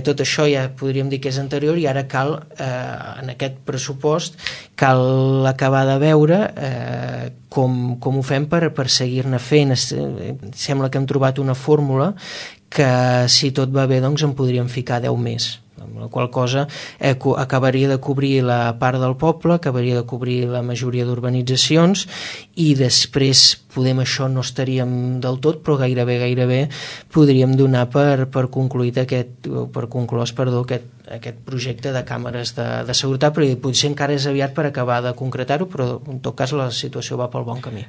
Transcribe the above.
Tot això ja podríem dir que és anterior, i ara cal, en aquest pressupost, cal acabar de veure com ho fem per seguir-ne fent. Sembla que hem trobat una fórmula que, si tot va bé, doncs en podríem ficar 10 més, amb la qual cosa acabaria de cobrir la part del poble, acabaria de cobrir la majoria d'urbanitzacions, i després això no estaríem del tot, però gairebé podríem donar per conclòs aquest projecte de càmeres de seguretat, però potser encara és aviat per acabar de concretar-ho, però en tot cas la situació va pel bon camí.